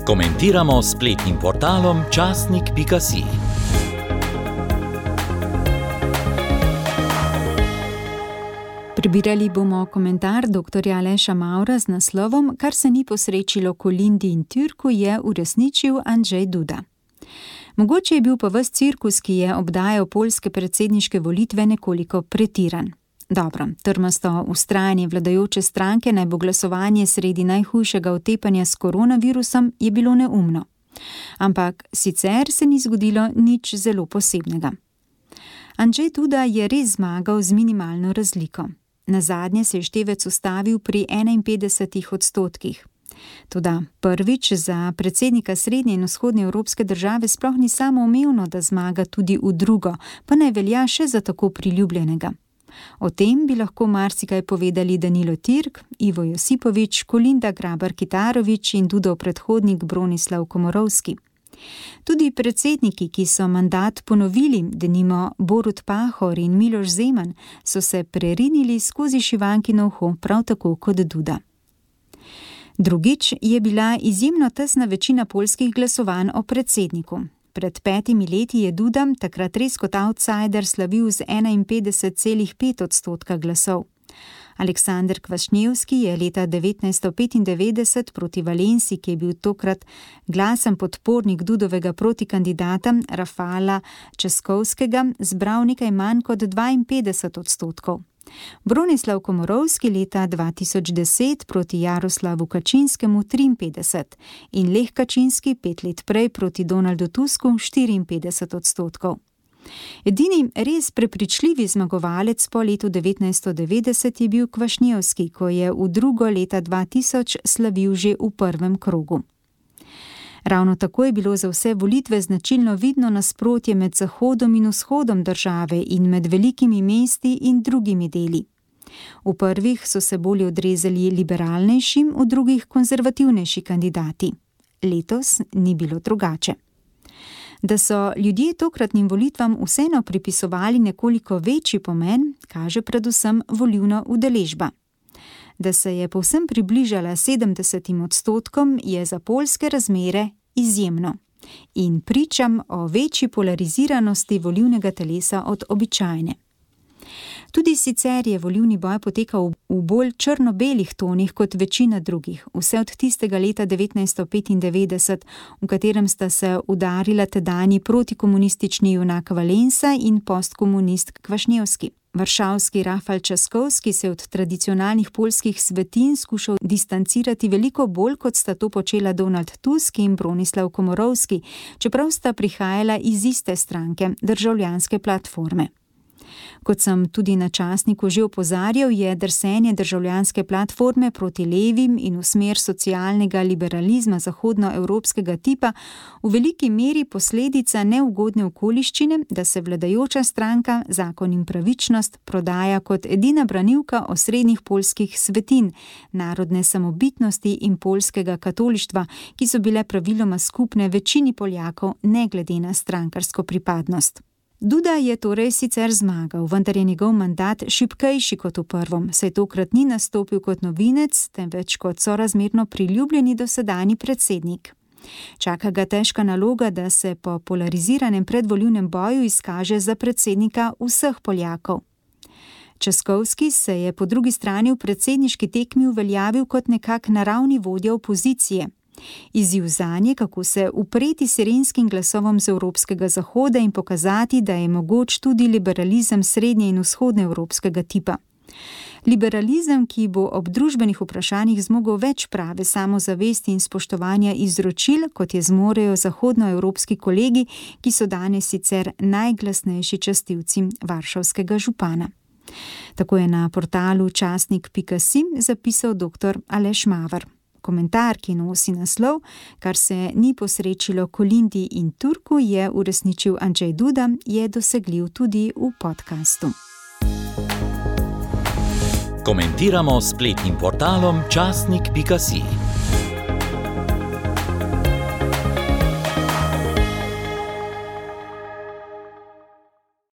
Komentiramo s spletnim portalom časnik.si. Prebirali bomo komentar dr. Aleša Mavra z naslovom Kar se ni posrečilo Kolindi in Türku, je uresničil Andrzej Duda. Mogoče je bil pa ves cirkus, ki je obdajal poljske predsedniške volitve, nekoliko pretiran. Dobro, trmasto vztrajanje vladajoče stranke, naj bo glasovanje sredi najhujšega otepanja s koronavirusom, je bilo neumno. Ampak sicer se ni zgodilo nič zelo posebnega. Andrzej Duda je res zmagal z minimalno razliko. Nazadnje se je števec ustavil pri 51%. Toda prvič za predsednika srednje in vzhodne evropske države sploh ni samoumevno, da zmaga tudi v drugo, pa ne velja še za tako priljubljenega. O tem bi lahko marsikaj povedali Danilo Türk, Ivo Josipović, Kolinda Grabar-Kitarović in Dudov predhodnik Bronislav Komorowski. Tudi predsedniki, ki so mandat ponovili, denimo Borut Pahor in Miloš Zeman, so se prerinili skozi šivankino uho, prav tako kot Duda. Drugič je bila izjemno tesna večina poljskih glasovanj o predsedniku. Pred 5 leti je Duda, takrat res kot outsider, slavil z 51,5% glasov. Aleksander Kvašnjevski je leta 1995 proti Valensi, ki je bil tokrat glasen podpornik Dudovega protikandidata Rafala Českovskega, zbral nekaj manj kot 52%. Bronislav Komorowski leta 2010 proti Jaroslavu Kačinskemu 53% in Lech Kačinski 5 let prej proti Donaldu Tusku 54%. Edini res prepričljivi zmagovalec po letu 1990 je bil Kvašnjevski, ko je v drugo leta 2000 slavil že v prvem krogu. Ravno tako je bilo za vse volitve značilno vidno nasprotje med zahodom in vzhodom države in med velikimi mesti in drugimi deli. V prvih so se bolje odrezali liberalnejšim, v drugih konzervativnejši kandidati. Letos ni bilo drugače. Da so ljudje tokratnim volitvam vseeno pripisovali nekoliko večji pomen, kaže predvsem volilna udeležba. Da se je povsem približala 70%, je za poljske razmere izjemno in pričam o večji polariziranosti volilnega telesa od običajne. Tudi sicer je volilni boj potekal v bolj črno-belih tonih kot večina drugih, vse od tistega leta 1995, v katerem sta se udarila tedanji protikomunistični junak Valensa in postkomunist Kvašnjevski. Varšavski Rafal Českovski se od tradicionalnih poljskih svetin skušal distancirati veliko bolj, kot sta to počela Donald Tusk in Bronislav Komorowski, čeprav sta prihajala iz iste stranke, Državljanske platforme. Kot sem tudi na časniku že opozarjal, je drsenje Državljanske platforme proti levim in v smer socialnega liberalizma zahodnoevropskega tipa v veliki meri posledica neugodne okoliščine, da se vladajoča stranka Zakon in pravičnost prodaja kot edina branilka osrednjih poljskih svetin, narodne samobitnosti in poljskega katolištva, ki so bile praviloma skupne večini Poljakov ne glede na strankarsko pripadnost. Duda je torej sicer zmagal, vendar je njegov mandat šibkejši kot v prvom, saj tokrat ni nastopil kot novinec, temveč kot sorazmerno priljubljeni dosedanji predsednik. Čaka ga težka naloga, da se po polariziranem predvolilnem boju izkaže za predsednika vseh Poljakov. Českovski se je po drugi strani v predsedniški tekmi uveljavil kot nekak naravni vodja opozicije. Izziv zanje, kako se upreti sirenskim glasovom z evropskega zahoda in pokazati, da je mogoč tudi liberalizem srednje in vzhodne evropskega tipa. Liberalizem, ki bo ob družbenih vprašanjih zmogel več prave samozavesti in spoštovanja izročil, kot je zmorejo zahodnoevropski kolegi, ki so danes sicer najglasnejši častilci varšavskega župana. Tako je na portalu časnik.si zapisal dr. Aleš Mavar. Komentar, ki nosi naslov Kar se ni posrečilo Kolindi in Türku, je uresničil Andrzej Duda, je dosegljiv tudi v podkastu. Komentiramo s spletnim portalom časnik.si.